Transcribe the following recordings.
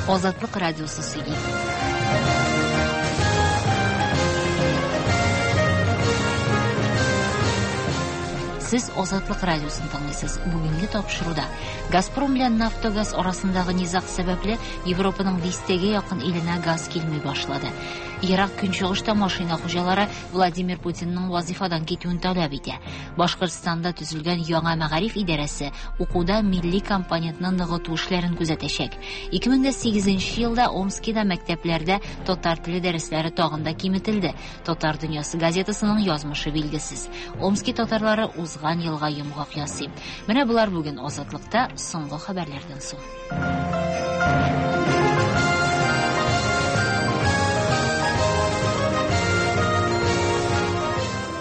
Азатлык радиосы сөйли. Сез Азатлык радиосын тыңлыйсыз. Бүгенге тапшыруда Газпром белән Нафтогаз арасындагы низаг сәбәпле Европаның дистәгә якын иленә газ килми башлады. Ерак Көнчыгышта машина хуҗалары Владимир Путинның вазифадан китүен таләп итә. Башкортстанда төзелгән яңа мәгариф идарәсе укуда милли компонентны ныгыту эшләрен күзәтәчәк. 2008 елда Омскида мәктәпләрдә татар теле дәресләре тагын да киметелде. Татар дөньясы газетасының язмышы билгесез. Омски татарлары узган елга йомгак ясый. Менә болар бүген Азатлыкта соңгы хәбәрләрдән соң.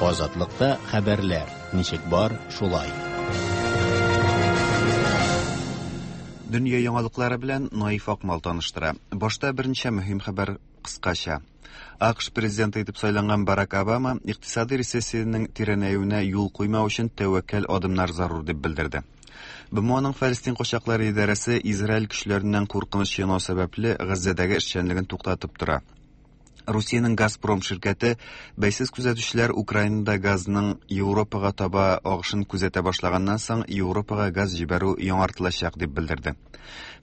Азатлыкта хәбәрләр ничек бар, шулай. Дөнья яңалыклары белән Наиф Акмал таныштыра. Башта берничә мөһим хәбәр кыскача. АКШ президенты итеп сайланган Барак Обама икътисади рецессиянең тирәнәюенә юл куймау өчен тәвәккәл адымнар зарур дип белдерде. БМОның Фәлестин качаклары идарәсе Израиль көчләреннән куркыныч янау сәбәпле Газзәдәге эшчәнлеген туктатып тора. Русиянең Газпром ширкәте бәйсез күзәтүчеләр Украинада газның Европага таба агышын күзәтә башлаганнан соң Европага газ җибәрү яңартылачак дип белдерде.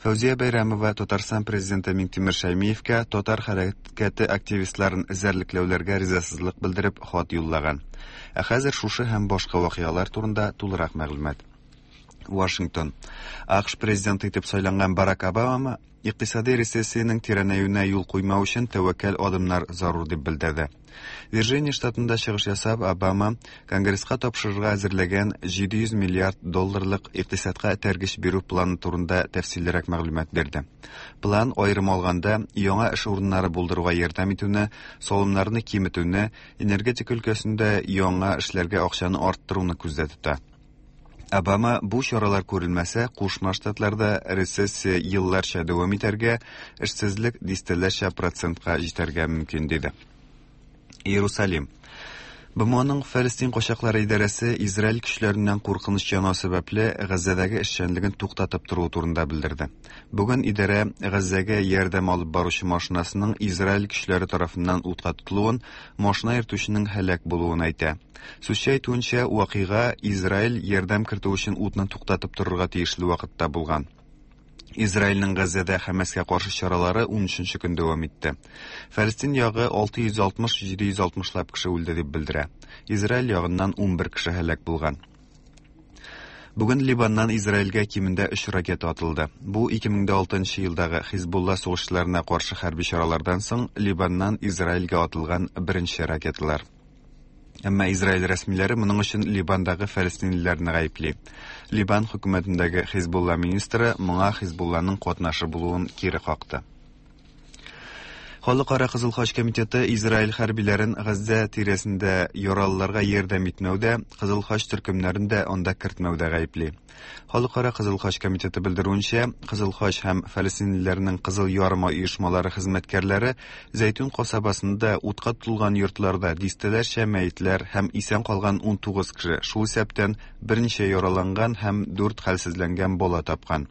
Фәүзия Бәйрәмова Татарстан президенты Миңтимер Шәймиевкә татар хәрәкәте активистларын эзәрлекләүләргә ризасызлык белдереп хат юллаган. Ә хәзер шушы һәм башка вакыйгалар турында тулырак мәгълүмат. Вашингтон. АКШ президенты итеп сайланган Барак Обама икътисади рецессиянең тирәнәюенә юл куймау өчен тәвәккәл адымнар зарур дип белдерде. Вирджиния штатында чыгыш ясап, Обама Конгресска тапшырырга әзерләгән 700 миллиард долларлык икътисадка этәргеч бирү планы турында тәфсиллерәк мәгълүмат бирде. План аерым алганда яңа эш урыннары булдыруга ярдәм итүне, салымнарны киметүне, энергетика өлкәсендә яңа эшләргә акчаны арттыруны күздә тота. Обама бу чаралар күрелмәсә, Кушма Штатларда рецессия елларча дәвам итәргә, эшсезлек дистәләрчә процентка җитәргә мөмкин диде. Иерусалим. БМОның Фәлестин качаклары идарәсе Израиль көчләреннән куркыныч янау сәбәпле Газзәдәге эшчәнлеген туктатып торуы турында белдерде. Бүген идарә Газзәгә ярдәм алып баручы машинасының Израиль көчләре тарафыннан утка тотылуын, машина йөртүченең һәлак булуын әйтә. Сүзче әйтүенчә, вакыйга Израиль ярдәм кертү өчен утны туктатып торырга тиешле вакытта булган. Израильнең Газзәдә Хәмәскә каршы чаралары 13 көн дәвам итте. Фәлестин ягы 660-760 лап кеше үлде дип белдерә. Израиль ягыннан 11 кеше һәлак булган. Бүген Ливаннан Израильгә кимендә 3 ракета атылды. Бу 2006 елдагы Хизбулла сугышчыларына каршы хәрби чаралардан соң Ливаннан Израильгә атылган беренче ракеталар. Әмма Израиль рәсмиләре моның өчен Ливандагы фәлестинлеләрне гаепли. Ливан хөкүмәтендәге Хизбулла министры моңа Хизбулланың катнашы булуын кире какты. Халыкара Кызыл Хач комитеты Израиль хәрбиләрен Газзә тирәсендә яралыларга ярдәм итмәүдә, Кызыл Хач төркемнәрен дә анда кертмәүдә гаепли. Халыкара Кызыл Хач комитеты белдерүенчә, Кызыл Хач һәм фәлестинлеләрнең Кызыл Ярымай оешмалары хезмәткәрләре Зәйтүн касабасында утка тотылган йортларда дистәләрчә мәетләр һәм исән калган 19 кеше, шул исәптән берничә яраланган һәм дүрт хәлсезләнгән бала тапкан.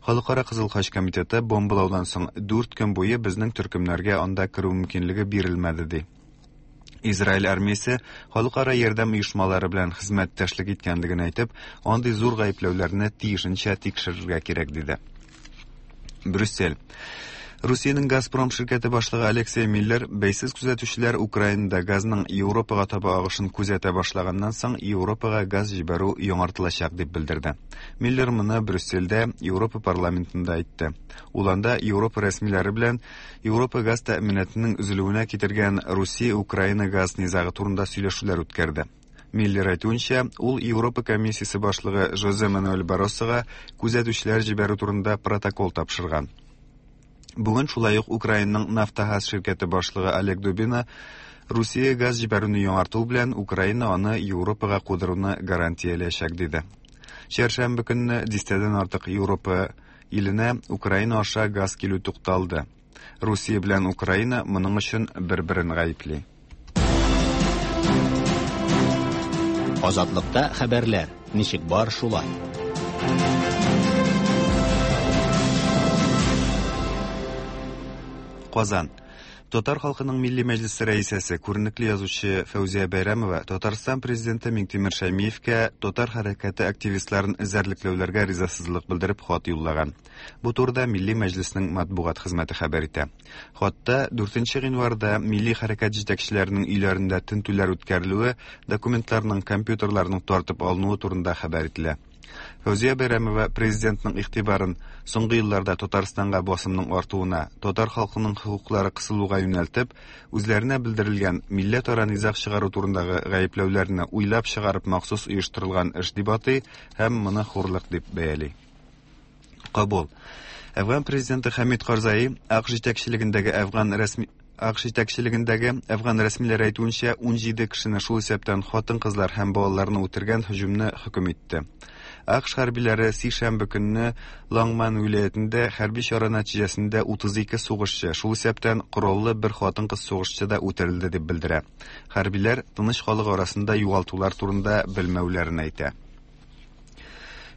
Халыкара Кызыл Хач комитеты бомбалаудан соң 4 көн буе безнең төркемнәргә анда керү мөмкинлеге бирелмәде, ди. Израиль армиясе халыкара ярдәм оешмалары белән хезмәттәшлек иткәнлеген әйтеп, андый зур гаепләүләрне тиешенчә тикшерергә кирәк, диде. Брюссель. Русиянең Газпром ширкәте башлыгы Алексей Миллер бәйсез күзәтүчеләр Украинада газның Европага таба агышын күзәтә башлаганнан соң Европага газ җибәрү яңартылачак дип белдерде. Миллер моны Брюссельдә Европа парламентында әйтте. Ул анда Европа рәсмиләре белән Европа газ тәэминатының өзелүенә китергән Русия-Украина газ низагы турында сөйләшүләр үткәрде. Миллер әйтүенчә, ул Европа комиссиясе башлыгы Жозе Мануэль Барросога күзәтүчеләр җибәрү турында протокол тапшырган. Бүген шулай ук Украинаның Нафтогаз ширкәте башлыгы Олег Дубина Русия газ җибәрүне яңарту белән Украина аны Европага кудыруны гарантияләячәк диде. Чәршәмбе көнне дистәдән артык Европа иленә Украина аша газ килү тукталды. Русия белән Украина моның өчен бер-берен гаепли. Азатлыкта хәбәрләр ничек бар, шулай. Казан. Татар халкының Милли мәҗлесе рәисәсе, күренекле язучы Фәүзия Бәйрәмова Татарстан президенты Миңтимер Шәймиевкә татар хәрәкәте активистларын эзәрлекләүләргә ризасызлык белдереп хат юллаган. Бу турыда Милли мәҗлеснең матбугат хезмәте хәбәр итә. Хатта 4 гыйнварда милли хәрәкәт җитәкчеләренең өйләрендә тентүләр үткәрелүе, документларның, компьютерларның тартып алынуы турында хәбәр ителә. Фәүзия Бәйрәмова президентның игътибарын соңгы елларда Татарстанга басымның артуына, татар халкының хокуклары кысылуга юнәлтеп, үзләренә белдерелгән милләтара низаг чыгару турындагы гаепләүләрне уйлап чыгарып махсус оештырылган эш дип атый һәм моны хурлык дип бәяли. Кабул. Әфган президенты Хәмид Карзаи АКШ җитәкчелегендәге әфган рәсми АКШ җитәкчелегендәге әфган рәсмиләре әйтүенчә, 17 кешене, шул исәптән хатын-кызлар һәм балаларны үтергән һөҗүмне хөкем итте. АКШ хәрбиләре сишәмбе көнне Лангман вилаятендә хәрби чара нәтиҗәсендә 32 сугышчы, шул исәптән кораллы бер хатын-кыз сугышчы да үтерелде дип белдерә. Хәрбиләр тыныч халык арасында югалтулар турында белмәүләрен әйтә.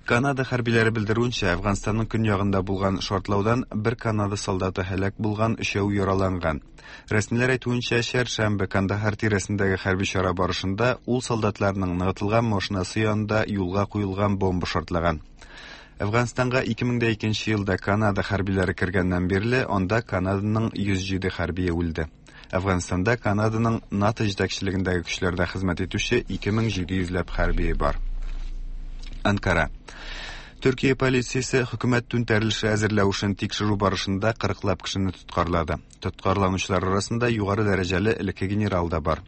Канада хәрбиләре белдерүенчә, Әфганстанның көньягында булган шартлаудан бер Канада солдаты һәлак булган, өчәү яраланган. Рәсмиләр әйтүенчә, чәршәмбе Кандахар тирәсендәге хәрби чара барышында ул солдатларның ныгытылган машинасы янында юлга куелган бомба шартлаган. Әфганстанга 2002 елда Канада хәрбиләре кергәннән бирле анда Канаданың 107 хәрбие үлде. Әфганстанда Канаданың НАТО җитәкчелегендәге көчләрдә хезмәт итүче 2700 ләп хәрбие бар. Анкара. Төркия полициясе хөкүмәт түнтәрелеше әзерләү эшен тикшерү барышында 40лап кешене тоткарлады. Тоткарланучылар арасында югары дәрәҗәле элекке генерал да бар.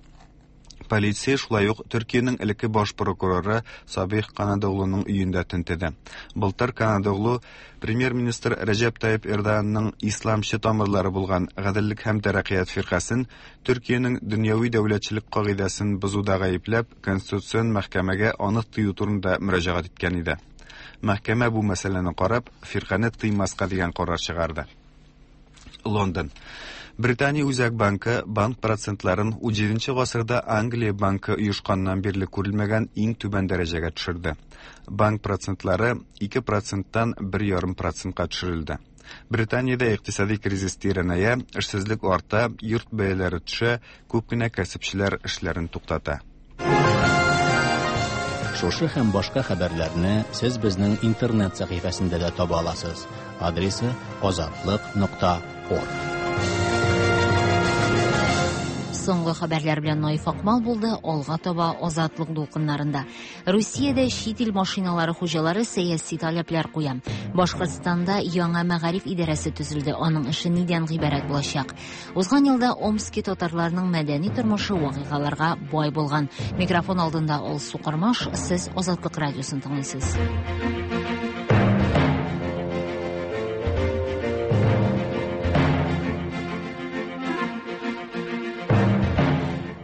Полиция шулай ук Төркиянең элекке баш прокуроры Сабих Канадоглуның өендә тентеде. Былтыр Канадоглу премьер-министр Рәҗәп Тайип Эрдоганның исламчы тамырлары булган Гаделлек һәм тәрәккыят фиркасен Төркиянең дөньяви дәүләтчелек кагыйдәсен бозуда гаепләп, Конституцион мәхкәмәгә аны тыю турында мөрәҗәгать иткән иде. Мәхкәмә бу мәсьәләне карап, фиркане тыймаска дигән карар чыгарды. Лондон. Британия Үзәк банкы банк процентларын 17 гасырда Англия банкы оешканнан бирле күрелмәгән иң түбән дәрәҗәгә төшерде. Банк процентлары 2 проценттан 1,5 процентка төшерелде. Британиядә икътисади кризис тирәнәя, эшсезлек арта, йорт бәяләре төшә, күп кенә кәсепчеләр эшләрен туктата. Шушы һәм башка хәбәрләрне сез безнең интернет сәхифәсендә дә таба аласыз. Адресы azatliq.org. Соңгы хәбәрләр белән Наиф Акмал булды. Алга таба Азатлык дулкыннарында. Русиядә чит ил машиналары хуҗалары сәяси таләпләр куя. Башкортстанда яңа мәгариф идарәсе төзелде. Аның эше нидән гыйбарәт булачак? Узган елда Омски татарларының мәдәни тормышы вакыйгаларга бай булган. Микрофон алдында Алсу Кормаш, сез Азатлык радиосын тыңлыйсыз.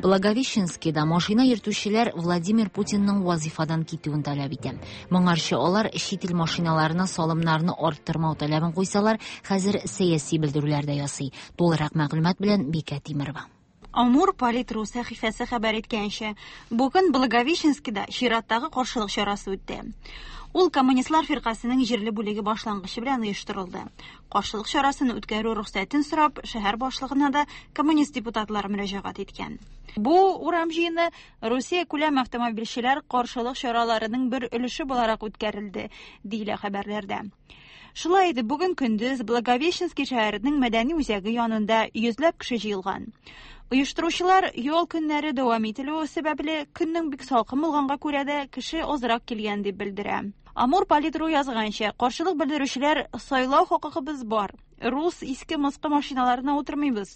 Благовещенскийда машина йөртүчеләр Владимир Путинның вазифадан китүен таләп итә. Моңарчы алар чит ил машиналарына салымнарны арттырмау таләбен куйсалар, хәзер сәяси белдерүләр дә ясый. Тулырак мәгълүмат белән Бикә Тимирова. Амур Политру сәхифәсе хәбәр иткәнчә, бүген Благовещенскийда чираттагы каршылык чарасы үтте. Ул Коммунистлар фиркасының җирле бүлеге башлангычы белән оештырылды. Каршылык чарасын үткәрү рөхсәтен сорап, шәһәр башлыгына да коммунист депутатлары мөрәҗәгать иткән. Бу урам җыены Русия күләм автомобильчеләр каршылык чараларының бер өлеше буларак үткәрелде, диелә хәбәрләрдә. Шулай итеп, бүген көндез Благовещенский шәһәренең мәдәни үзәге янында йөзләп кеше җыелган. Оештыручылар ял көннәре дәвам ителүе сәбәпле көннең бик салкын булганга күрә дә кеше азрак килгән дип белдерә. Амур Политру язганча, каршылык белдерүчеләр сайлау хокукыбыз бар. Рус иске мыскы машиналарына утырмыйбыз.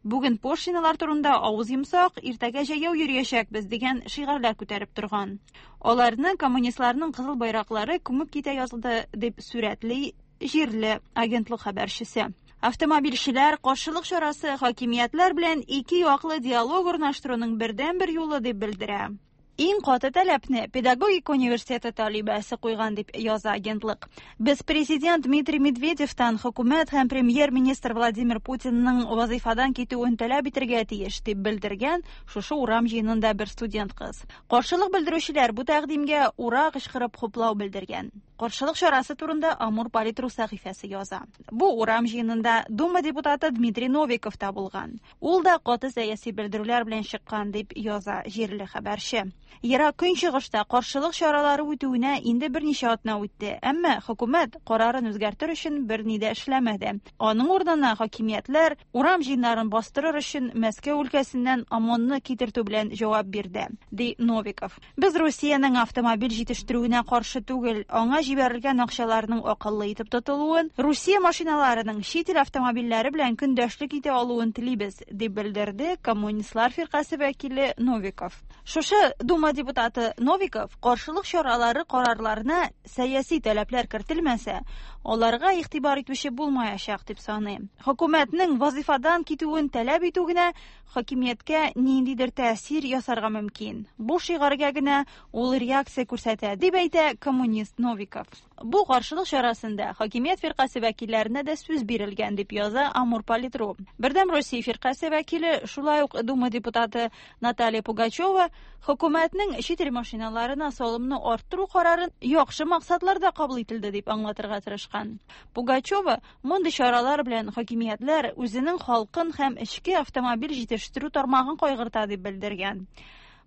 Бүген пошлиналар турында авыз йомсак, иртәгә җәяү йөриячәкбез дигән шигарьләр күтәреп торган. Аларны коммунистларның кызыл байраклары күмеп китә язды дип сурәтли җирле агентлык хәбәрчесе. Автомобильчеләр каршылык чарасы хакимиятләр белән ике яклы диалог урнаштыруның бердәнбер юлы дип белдерә. Иң каты таләпне педагогика университеты талибәсе куйган дип яза агентлык. Без президент Дмитрий Медведевтан хөкүмәт һәм премьер-министр Владимир Путинның вазыйфадан китүен таләп итәргә тиеш, дип белдергән шушы урам җыенында бер студент кыз. Каршылык белдерүчеләр бу тәкъдимгә ура кычкырып хуплау белдергән. Каршылык чарасы турында Амур Политру сәхифәсе яза. Бу урам җыенында Дума депутаты Дмитрий Новиков та булган. Ул да каты сәяси белдерүләр белән чыккан дип яза җирле хәбәрче. Ерак Көнчыгышта каршылык чаралары үтүенә инде берничә атна үтте, әмма хөкүмәт карарын үзгәртер өчен берни дә эшләмәде. Аның урынына хакимиятләр урам җыеннарын бастырыр өчен Мәскәү өлкәсеннән ОМОНны китертү белән җавап бирде, ди Новиков. Без Русиянең автомобиль җитештерүенә каршы түгел, аңа җибәрелгән акчаларның акыллы итеп тотылуын, Русия машиналарының чит ил автомобильләре белән көндәшлек итә алуын телибез, дип белдерде Коммунистлар фиркасе вәкиле Новиков. Шушы Дума депутаты Новиков каршылык чаралары карарларына сәяси таләпләр кертелмәсә, аларга игътибар итүче булмаячак дип саный. Хөкүмәтнең вазифадан китүен таләп итү генә хакимияткә ниндидер тәэсир ясарга мөмкин. Бу шигаргә генә ул реакция күрсәтә, дип әйтә коммунист Новиков. Бу каршылык чарасында хакимият фиркасе вәкилләренә дә сүз бирелгән, дип яза Амур Политру. Бердәм Россия фиркасе вәкиле, шулай ук Дума депутаты Наталья Пугачева хөкүмәтнең чит ил машиналарына салымны арттыру карарын яхшы максатларда кабул ителде дип аңлатырга тырышкан. Пугачева мондый чаралар белән хакимиятләр үзенең халкын һәм эчке автомобиль җитештерү тармагын кайгырта дип белдергән.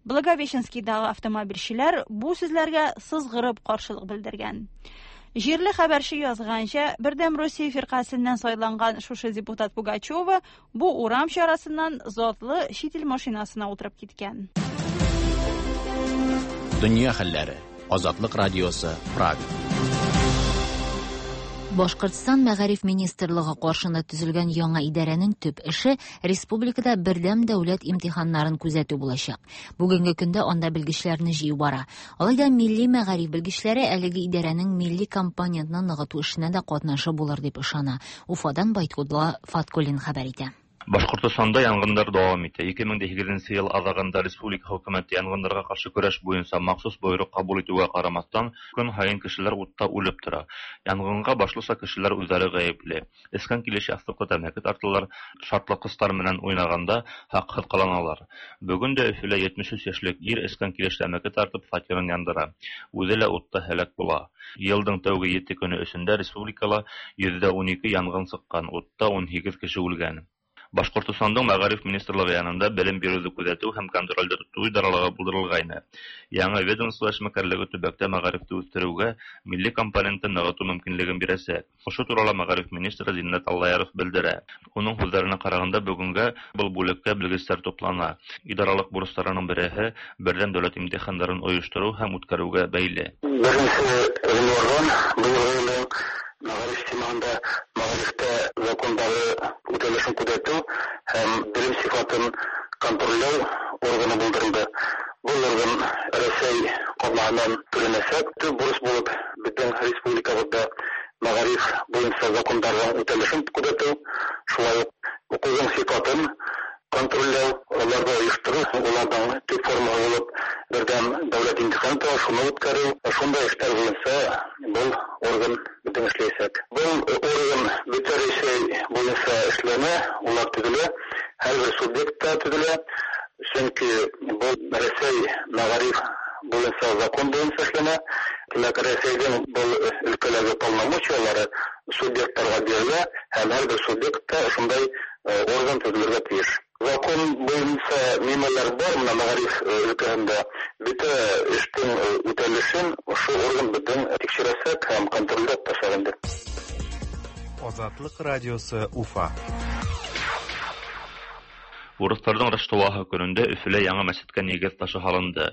Благовещенскийдагы автомобильчеләр бу сүзләргә сызгырып каршылык белдергән. Җирле хәбәрче язганча, Бердәм Россия фиркасеннән сайланган шушы депутат Пугачева бу урам чарасыннан затлы чит ил машинасына утырып киткән. Дөнья хәлләре. Азатлык радиосы, Прага. Башкортстан Мәгариф министрлыгы каршында төзелгән яңа идарәнең төп эше республикада бердәм дәүләт имтиханнарын күзәтү булачак. Бүгенге көндә анда белгечләрне җыю бара. Алай да милли мәгариф белгечләре әлеге идарәнең милли компонентны ныгыту эшенә дә катнашы булыр дип ышана. Уфадан Байткудла Фаткуллин хәбәр итә. Башкортостанда янгыннар дәвам итә. 2008 ел азагында республика хөкүмәте янгыннарга каршы көрәш буенча махсус боерык кабул итүгә карамастан, көн һаен кешеләр утта үлеп тора. Янгынга башлыча кешеләр үзләре гаепле. Эскән килеш ястыкта тәмәке тарталар, шартлаткычлар белән уйнаганда хаксыз кыланалар. Бүген дә Өфөлә 73 яшьлек ир эскән килеш тәмәке тартып фатирын яндыра. Үзе лә утта һәлак була. Елдың тәүге 7 көне эчендә республикала 112 янгын чыккан, утта 18 кеше үлгән. Башкортостандың Мәгариф министрлыгы янында белем бирүҙе күҙәтеү һәм контролдә тотоу идаралығы булдырылғайны. Яңы ведомство эшмәкәрлеге төбәктә мәгарифте үҫтереүгә милли компонентын нығытыу мөмкинлеген бирәсәк. Ошо турала мәгариф министры Зиннәт Аллаяров белдерә. Уның һүҙҙәренә ҡарағанда, бөгөнгә был бүлеккә белгестәр туплана. Идаралыҡ бурыстарының береһе берҙәм дәүләт имтихандарын ойоштороу һәм үткәреүгә бәйле. Беренсе ғинварҙан быйылғы йылдың мәғариф системаһында мәғарифтә закондары үтәлешен күҙәтеү һәм белем сифатын контрольләү органы булдырылды. Был орган Рәсәй ҡаҙнаһынан түләнәсәк. Төп бурыс булып беҙҙең республикабыҙҙа мәғариф буйынса закондарҙың үтәлешен күҙәтеү, шулай уҡ уҡыуҙың сифатын контрольләү, уларҙы ойоштороу, уларҙың төп формаһы булып берҙәм дәүләт имтиханы тора, шуны үткәреү, шундай эштәр буйынса был орган беҙҙең эшләйәсәк. Был орган бөтә Рәсәй буйынса эшләнә, улар төҙөлә, һәр бер субъектта төҙөлә, сөнки был Рәсәй мәғариф буйынса закон буйынса эшләнә. Тимәк, Рәсәйҙең был өлкәләге полномочиялары субъекттарға бирелә, һәм һәр бер субъектта ошондай орган төҙөлергә тейеш. Закон буйынса нимәләр бар, мына мәғариф өлкәһендә бөтә эштең үтәлешен ошо орган беҙҙең тикшерәсәк һәм контрольдә тотасаҡ инде. Азатлык радиосы Уфа. Урыҫтарҙың Раштуаһы көнөндә Өфөлә яңы мәсеткә нигеҙ ташы һалынды.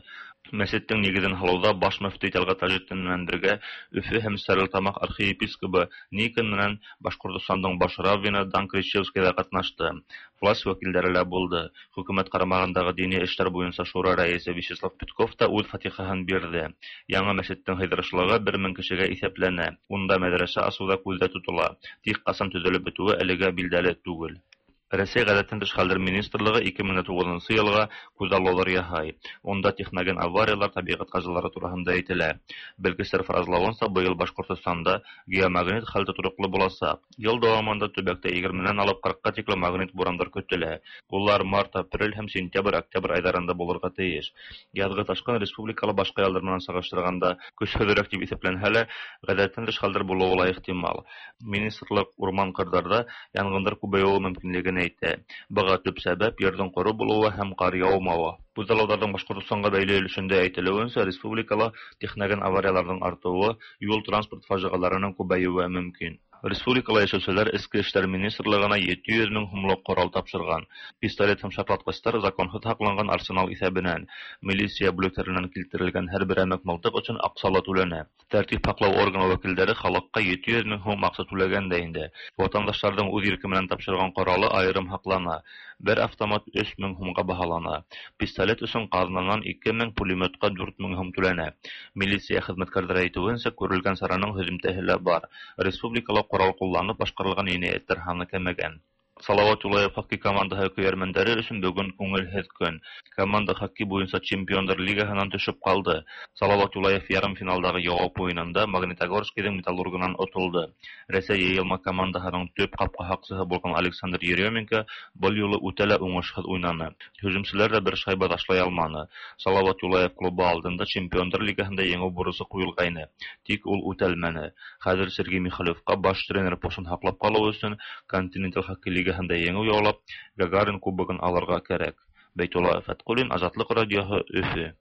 Мәсеттең нигеҙен һалыуҙа баш мөфти Тәлғәт Таҗетдин менән бергә Өфө һәм Стәрлетамаҡ архиепископы Никон менән Башҡортостандың баш раввины Дан Кричевский ҙа ҡатнашты. Власть вәкилдәре лә булды. Хөкүмәт ҡарамағындағы дини эштәр буйынса шура рәйесе Вячеслав Петков та үҙ фатихаһын бирҙе. Яңы мәсеттең һыйҙырышлығы 1000 кешегә иҫәпләнә. Унда мәҙрәсә асыу ҙа күҙҙә тотола. Тик ҡасан төҙөлөп бөтөүе әлегә билдәле түгел. Рәсәй Гадәттән тыш хәлләр министрлыгы 2009 елга күзаллаулар яһай. Унда техноген авариялар, табигать казалары тураһында әйтелә. Белгечләр фаразлавынча, быел Башкортостанда геомагнит хәл тотрыклы булачак. Ел дәвамында төбәктә 20-нән алып 40-ка тиклем магнит бурандар көтелә. Улар март, апрель һәм сентябрь, октябрь айларында булырга тиеш. Язгы ташкын республикалы башка еллар менән чагыштырганда көчһезрәк дип исәпләнһә лә, гадәттән тыш хәлләр булуы ла ихтимал. Министрлык урман-кырдарда янгыннар күбәюе мөмкинлеген әйтә. Быга төп сәбәп ердың коры булуы һәм кар яумавы. Күзаллауларның Башкортостанга бәйле өлешендә әйтелүенчә, республикала техноген аварияларның артуы, юл-транспорт фаҗигаларының күбәюе мөмкин. Республикала яшәүчеләр Эчке эшләр министрлыгына 700 мең һумлык корал тапшырган. Пистолет һәм шартлаткычлар законсыз һакланган арсенал исәбенән. Милиция бүлекләреннән килтерелгән һәр берәмек мылтык өчен акчалы түләнә. Тәртип һаклау органы вәкилләре халыкка 700 мең һум акча түләгән дә инде. Ватандашларның үз ирке белән тапшырган коралы аерым һаклана. Бер автомат 3 мең һумга баһалана. Пистолет өчен казнаннан 2 мең, пулеметка 4 мең һум түләнә. Милиция хезмәткәрләре әйтүенчә, күрелгән чараның һөҙемтәһе лә бар. Республикала корал кулланып башкарылган җинаятьләр һаны кәмегән. Салават Юлаев хоккей командаһы көйәрмәндәре өчен бүген күңелһеҙ көн. Команда хоккей буйынса Чемпиондар лигаһынан төшөп ҡалды. Салават Юлаев ярымфиналдағы яуап уйынында Магнитогорскийҙың Металлургынан отолдо. Рәсәй йыйылма командаһының төп ҡапҡа һаҡсыһы булған Александр Еременко был юлы үтә лә уңышһыҙ уйнаны. Һөжүмселәр ҙә бер шайба ташлай алманы. Салават Юлаев клубы алдында Чемпиондар лигаһында еңеү бурысы ҡуйылғайны. Тик ул үтәлмәне. Хәҙер Сергей Михалевҡа баш тренер постын һаҡлап ҡалыу өсөн Континенталь хоккей лигаһында еңеү яулап, Гагарин кубогын алырға кәрәк. Бәйтулла Фәтҡуллин, Азатлыҡ радиоһы, Өфө.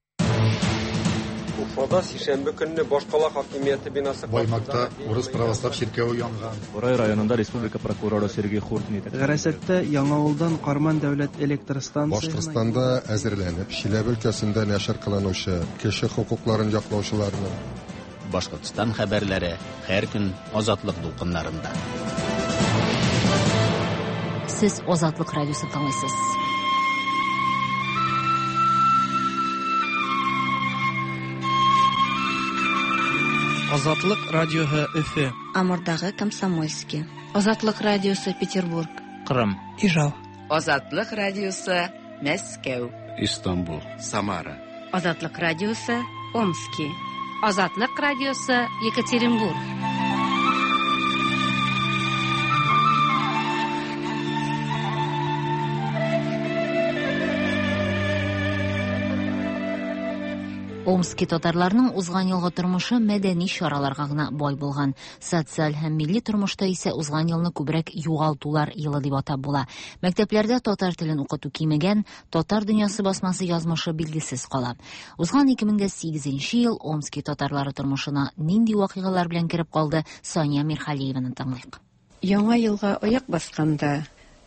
Уфада сишәмбе көнне башкала хакимияте бинасы Баймакта урыс православ чиркәве янган. Бурай районында республика прокуроры Сергей Хуртин Гарасатта Яңавылдан Карман дәүләт электр станциясенә Башкортстанда әзерләнеп, Чиләбе өлкәсендә нәшер кылынучы кеше хокукларын яклаучыларның Башкортстан хәбәрләре һәр көн Азатлык дулкыннарында. Сез Азатлык радиосын тыңлыйсыз. Азатлык радиоһы, Өфе. Амурдагы Комсомольский. Азатлык радиосы, Петербург. Кырым. Ижау. Азатлык радиосы, Мәскәү. Истанбул. Самара. Азатлык радиосы, Омски. Азатлык радиосы, Екатеринбург. Омски татарларының узган елгы тормышы мәдәни чараларга гына бай булган. Социаль һәм милли тормышта исә узган елны күбрәк югалтулар елы дип атап була. Мәктәпләрдә татар телен укыту кимегән, Татар дөньясы басмасы язмышы билгесез кала. Узган 2008 ел Омски татарлары тормышына нинди вакыйгалар белән кереп калды, Сания Мирхалиеваны тыңлыйк. Яңа елга аяк басканда,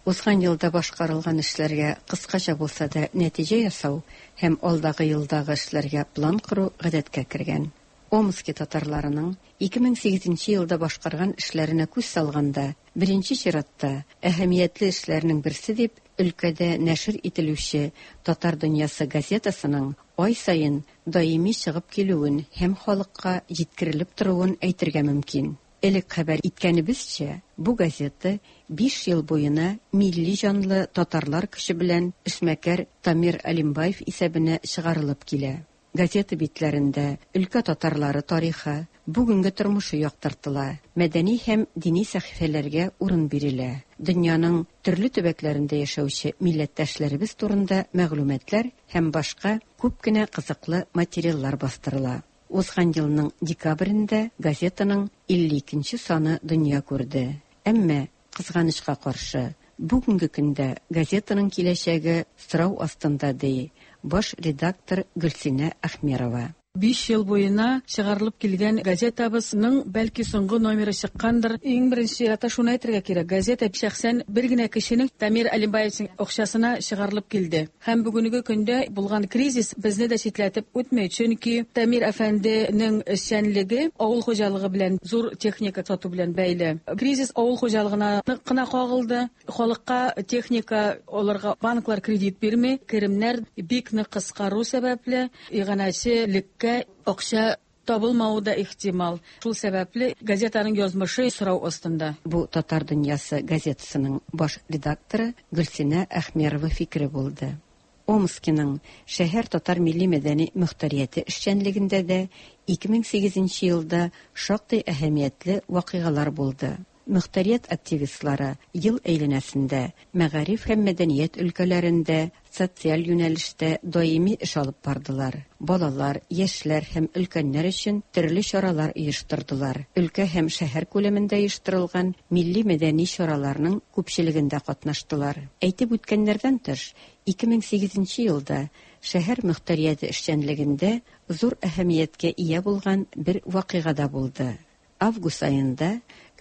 узган елда башкарылган эшләргә кыскача булса да нәтиҗә ясау һәм алдагы елдагы эшләргә план кору гадәткә кергән. Омски татарларының 2008 елда башкарган эшләренә күз салганда, беренче чиратта әһәмиятле эшләрнең берсе дип өлкәдә нәшер ителүче Татар дөньясы газетасының ай саен даими чыгып килүен һәм халыкка җиткерелеп торуын әйтергә мөмкин. Элек хәбәр иткәнебезчә, бу газета 5 ел буена милли җанлы татарлар көче белән эшмәкәр Тамир Алимбаев исәбенә чыгарылып килә. Газета битләрендә өлкә татарлары тарихы, бүгенге тормышы яктыртыла, мәдәни һәм дини сәхифәләргә урын бирелә. Дөньяның төрле төбәкләрендә яшәүче милләттәшләребез турында мәгълүматлар һәм башка күп кенә кызыклы материаллар бастырыла. Узган елның декабрендә газетаның 52 саны дөнья күрде. Әмма кызганычка каршы, бүгенге көндә газетаның киләчәге сорау астында, ди баш редактор Гөлсинә Әхмерова. 5 ел буена чыгарылып килгән газетабызның бәлки соңгы номеры чыккандыр. Иң беренче чиратта шуны әйтергә кирәк: газета шәхсән бер генә кешенең, Тамир Алимбаевичның акчасына чыгарылып килде. Һәм бүгенге көндә булган кризис безне дә читләтеп үтми, чөнки Тамир әфәнденең эшчәнлеге авыл хуҗалыгы белән, зур техника сату белән бәйле. Кризис авыл хуҗалыгына нык кына кагылды. Халыкка техника алырга банклар кредит бирми, керемнәр бик нык кыскару сәбәпле, иганәчелеккә акча Табылмавы да ихтимал. Шул сәбәпле газетаның язмышы сорау астында. Бу Татар дөньясы газетасының баш редакторы Гөлсинә Әхмерова фикере булды. Омскиның шәһәр татар милли-мәдәни мохтарияте эшчәнлегендә дә 2008 елда шактый әһәмиятле вакыйгалар булды. Мохтарият активистлары ел әйләнәсендә мәгариф һәм мәдәният өлкәләрендә, социаль юнәлештә даими эш алып бардылар. Балалар, яшьләр һәм өлкәннәр өчен төрле чаралар оештырдылар. Өлкә һәм шәһәр күләмендә оештырылган милли-мәдәни чараларның күпчелегендә катнаштылар. Әйтеп үткәннәрдән тыш, 2008 елда шәһәр мохтарияте эшчәнлегендә зур әһәмияткә ия булган бер вакыйга да булды. Август аенда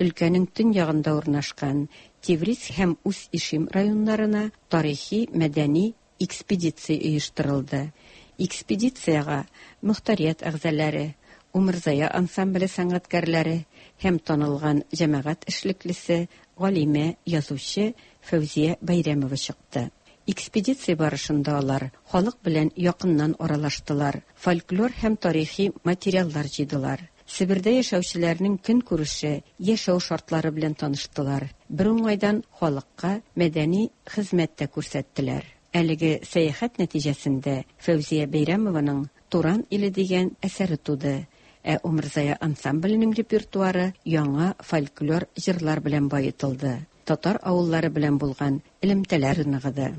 өлкәнең төньягында урнашкан Тевриз һәм Усть-Ишим районнарына тарихи-мәдәни экспедиция оештырылды. Экспедициягә мохтарият әгъзалары, Умырзая ансамбле сәнгатькәрләре һәм танылган җәмәгать эшлеклесе, галимә, язучы Фәүзия Бәйрәмова чыкты. Экспедиция барышында алар халык белән якыннан аралаштылар, фольклор һәм тарихи материаллар җыйдылар. Себердә яшәүчеләрнең көнкүреше, яшәү шартлары белән таныштылар, бер уңайдан халыкка мәдәни хезмәт тә күрсәттеләр. Әлеге сәяхәт нәтиҗәсендә Фәүзия Бәйрәмованың Туран иле дигән әсәре туды, ә Умырзая ансамбленең репертуары яңа фольклор җырлар белән баетылды, татар авыллары белән булган элемтәләр ныгыды.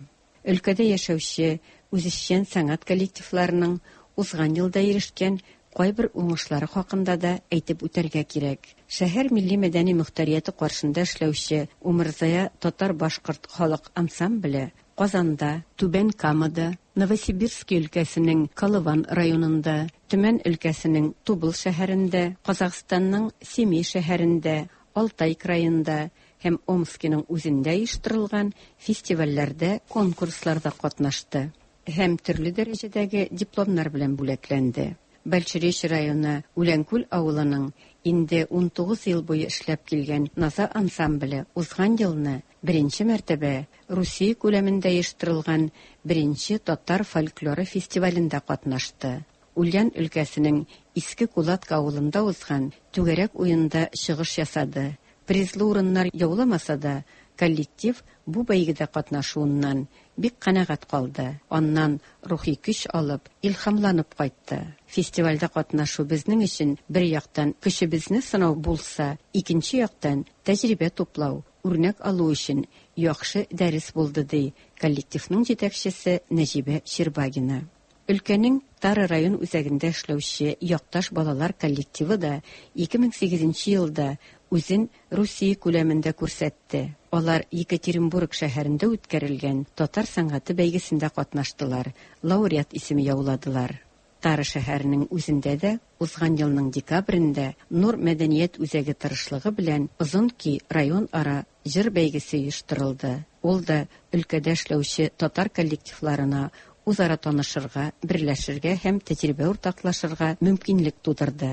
Өлкәдә яшәүче үзешчән сәнгать коллективларының узган елда ирешкән кайбер уңышлары хакында да әйтеп үтәргә кирәк. Шәһәр милли-мәдәни мохтарияте каршында эшләүче Умырзая татар-башкорт халык ансамбле Казанда, Түбән Камада, Новосибирски өлкәсенең Колыван районында, Төмән өлкәсенең Тубыл шәһәрендә, Казахстанның Семей шәһәрендә, Алтай краенда һәм Омскиның үзендә оештырылган фестивальләрдә, конкурсларда катнашты һәм төрле дәрәҗәдәге дипломнар белән бүләкләнде. Большеречье районы Үләнкүл авылының инде 19 ел буе эшләп килгән Наза ансамбле узган елны беренче мәртәбә Русия күләмендә оештырылган беренче татар фольклоры фестивалендә катнашты. Ульян өлкәсенең Иске Кулатка авылында узган түгәрәк уенда чыгыш ясады. Призлы урыннар яуламаса да, коллектив бу бәйгедә катнашуыннан бик канәгать калды. Аннан рухи көч алып, илһамланып кайтты. Фестивальдә катнашу безнең өчен бер яктан көчебезне сынау булса, икенче яктан тәҗрибә туплау, үрнәк алу өчен яхшы дәрес булды, ди коллективның җитәкчесе Нәҗибә Щербагина. Өлкәнең Тара район үзәгендә эшләүче Якташ балалар коллективы да 2008 елда үзен Русия күләмендә күрсәтте. Алар Екатеринбург шәһәрендә үткәрелгән татар сәнгате бәйгесендә катнаштылар, лауреат исеме яуладылар. Тара шәһәренең үзендә дә узган елның декабрендә Нур мәдәният үзәге тырышлыгы белән Озын көй районара җыр бәйгесе оештырылды. Ул да өлкәдә эшләүче татар коллективларына үзара танышырга, берләшергә һәм тәҗрибә уртаклашырга мөмкинлек тудырды.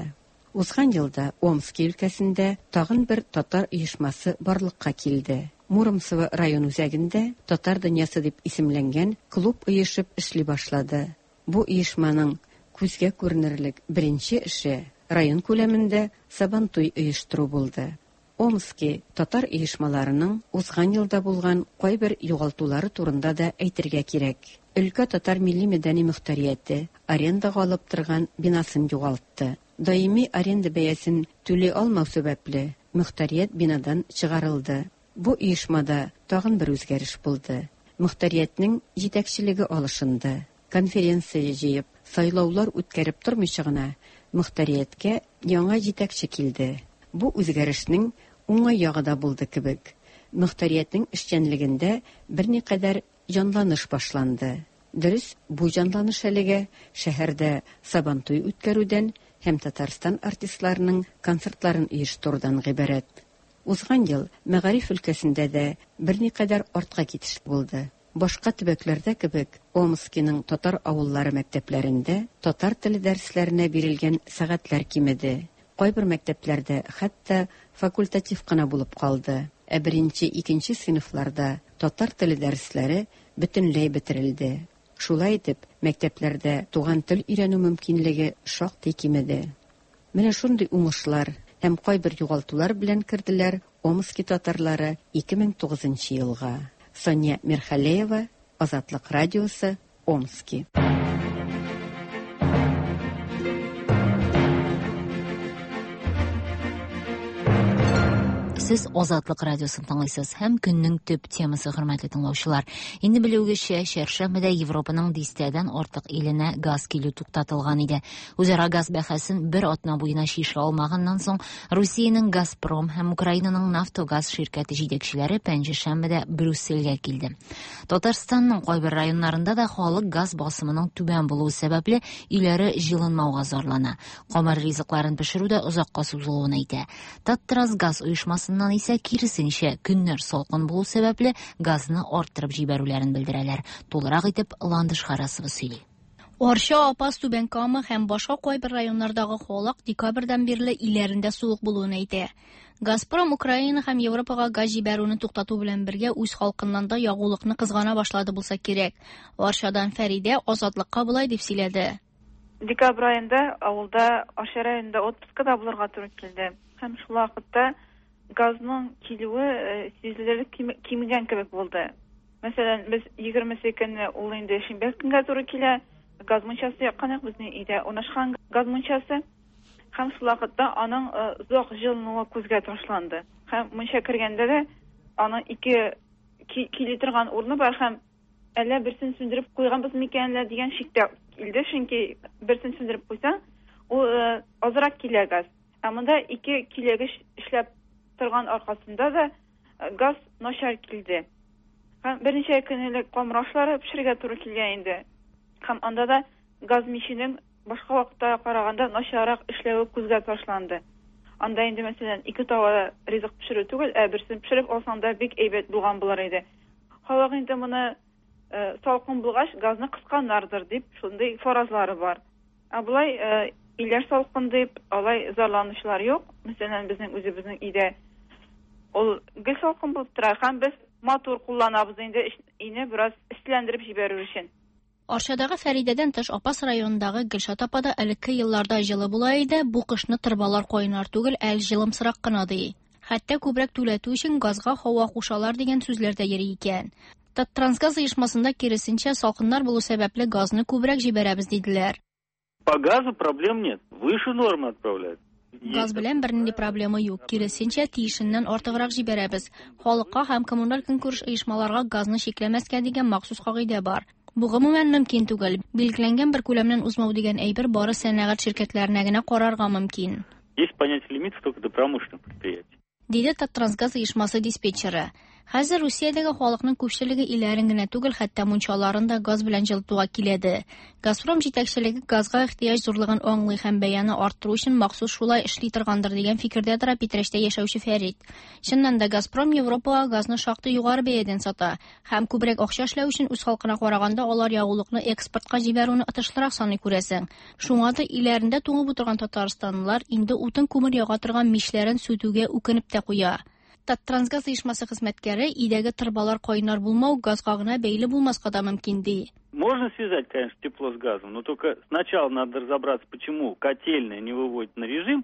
Узган елда Омски өлкәсендә тагын бер татар оешмасы барлыкка килде. Муромцево район үзәгендә Татар дөньясы дип исемләнгән клуб оешып эшли башлады. Бу оешманың күзгә күренерлек беренче эше район күләмендә Сабантуй оештыру булды. Омски татар оешмаларының узган елда булган кайбер югалтулары турында да әйтергә кирәк. Өлкә татар милли-мәдәни мохтарияте арендага алып торган бинасын югалтты. Даими аренда бәясен түли алмау сәбәпле, мохтарият бинадан чыгарылды. Бу оешмада тагын бер үзгәреш булды. Мохтариятнең җитәкчелеге алышынды. Конференция җыеп, сайлаулар үткәреп тормыйча гына, мохтарияткә яңа җитәкче килде. Бу үзгәрешнең уңай ягы да булды кебек. Мохтариятнең эшчәнлегендә берникадәр җанланыш башланды. Дөрес, бу җанланыш әлегә шәһәрдә Сабантуй үткәрүдән һәм Татарстан артистларының концертларын оештырудан гыйбарәт. Узган ел мәгариф өлкәсендә дә берникадәр артка китеш булды. Башка төбәкләрдә кебек, Омскиның татар авыллары мәктәпләрендә татар теле дәресләренә бирелгән сәгатьләр кимеде. Кайбер мәктәпләрдә хәтта факультатив кына булып калды. Ә беренче-икенче сыйныфларда татар теле дәресләре бөтенләй бетерелде. Шулай итеп, мәктәпләрдә туган тел өйрәнү мөмкинлеге шактый кимеде. Менә шундый уңышлар һәм кайбер югалтулар белән керделәр Омски татарлары 2009 елга. Сания Мирхалеева, Азатлык радиосы, Омски. Сез Азатлык радиосын тыңлыйсыз һәм көннең төп темасы, хөрмәтле тыңлаучылар. Инде белүегезчә, чәршәмбедә Европаның дистәдән артык иленә газ килү туктатылган иде. Үзара газ бәхәсен бер атна буена чишә алмаганнан соң, Русиянең Газпром һәм Украинаның Нафтогаз ширкәте җитәкчеләре пәнҗешәмбедә Брюссельгә килде. Татарстанның кайбер районнарында да халык газ басымының түбән булуы сәбәпле өйләре җылынмауга зарлана. Камыр ризыкларын пешерү дә озакка сузылуын әйтә. Таттрансгаз оешмасыннан исә киресенчә, көннәр салкын булу сәбәпле газны арттырып җибәрүләрен белдерәләр. Тулырак итеп Ландыш Харасова сөйли. Арча, Апас, Түбән Кама һәм башка кайбер районнардагы халык декабрьдән бирле өйләрендә суык булуын әйтә. Газпром Украина һәм Европага газ җибәрүне туктату белән бергә үз халкыннан да ягулыкны кызгана башлады булса кирәк. Арчадан Фәридә Азатлыкка болай дип сөйләде. Декабрь аенда авылда Арча районында отпускада булырга туры килде. Һәм шул вакытта газның килүе сизелерлек кимегән кебек булды. Мәсәлән, без 20 көнне, ул инде шимбә көнгә туры килә, газ мунчасы яккан идек, безнең өйдә урнашкан газ мунчасы. Һәм шул вакытта аның озак җылынуы күзгә ташланды. Һәм мунча кергәндә дә аның ике кили торган урыны бар һәм әллә берсен сүндереп куйганбыз микән әллә дигән шик тә килде, чөнки берсен сүндереп куйсаң, ул азрак килә газ. Ә монда ике киләгеч эшләп торган аркасында да газ начар килде. Һәм берничә көн элек камыр ашлары пешерергә туры килгән инде. Һәм анда да газ миченең башка вакытта караганда начаррак эшләве күзгә ташланды. Анда инде, мәсәлән, ике табада ризык пешерү түгел, ә берсен пешереп алсаң да бик әйбәт булган булыр иде. Халык инде моны салкын булгач газны кысканнардыр дип шундый фаразлары бар. Ә болай өйләр салкын дип алай зарланучылар юк. Мәсәлән, безнең үзебезнең өйдә ул гел салкын булып тора һәм без матур кулланабыз инде өйне бераз эсселәндереп җибәрү өчен. Арчадагы Фәридәдән тыш Апас районындагы Гөлшат апа да элекке елларда җылы була иде, бу кышны торбалар кайнар түгел, ә җылымсырак кына ди. Хәтта күбрәк түләтү өчен газга һава кушалар дигән сүзләр дә йөри икән. Таттрансгаз оешмасында киресенчә салкыннар булу сәбәпле газны күбрәк җибәрәбез диделәр. По газу проблем нет. Выше нормы отправляют. Газ белән бернинди проблема юк. Киресенчә, тиешеннән артыграк җибәрәбез. Халыкка һәм коммуналь көнкүреш оешмаларга газны чикләмәскә дигән махсус кагыйдә бар. Бу гомумән мөмкин түгел. Билгеләнгән бер күләмнән узмау дигән әйбер бары сәнәгать ширкәтләренә генә карарга мөмкин. Есть понятие лимитов только до промышленных предприятий. Диде Таттрансгаз оешмасы диспетчеры. Хәзер Русиядәге халыкның күпчелеге өйләрен генә түгел, хәтта мунчаларын да газ белән җылытуга киләде. Газпром җитәкчелеге газга ихтыяҗ зурлыгын аңлый һәм бәяне арттыру өчен махсус шулай эшли торгандыр дигән фикердә тора Питрәчтә яшәүче Фәрит. Чыннан да Газпром Европага газны шактый югары бәядән сата һәм күбрәк акча эшләү өчен үз халкына караганда алар ягулыкны экспортка җибәрүне отышлырак саный күрәсең. Шуңа да өйләрендә туңып утырган татарстанлылар инде утын күмер яга торган мичләрен сүтүгә үкенеп тә куя. Таттрансгаз оешмасы хезмәткәре өйдәге торбалар кайнар булмау газга гына бәйле булмаска да мөмкин ди. Можно связать, конечно, тепло с газом, но только сначала надо разобраться, почему котельная не выводит на режим.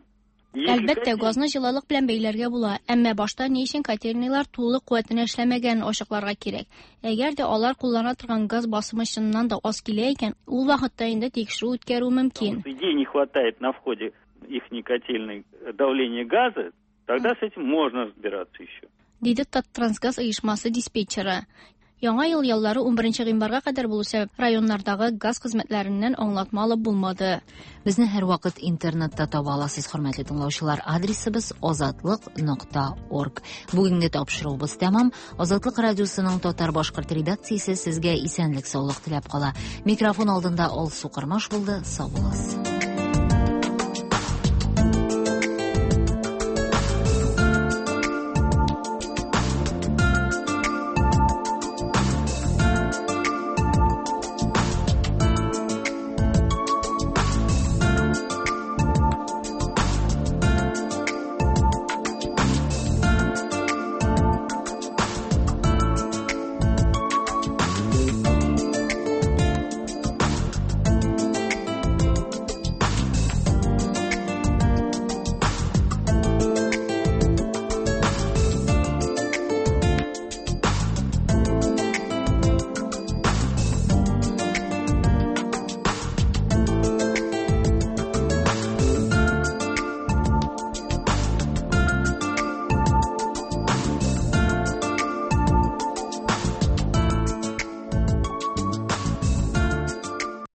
Әлбәттә, газны җылылык белән бәйләргә була, әмма башта ни өчен котельныйлар тулы куәтенә эшләмәгәнен ачыкларга кирәк. Әгәр дә алар куллана торган газ басымы чыннан да аз килә икән, ул вакытта инде тикшерү үткәрү мөмкин. Идеи не хватает на входе ихней котельной давления газа, тогда с этим можно разбираться еще. Диде Таттрансгаз оешмасы диспетчеры. Яңа ел яллары 11 гыйнварга кадәр булу сәбәп районнардагы газ хезмәтләреннән аңлатма алып булмады. Безне һәрвакыт интернетта таба аласыз, хөрмәтле тыңлаучылар. Адресыбыз azatliq.org. Бүгенге тапшыруыбыз тәмам. Азатлык радиосының татар-башкорт редакциясе сезгә исәнлек-саулык теләп кала. Микрофон алдында Алсу Кырмаш булды. Сау булыгыз.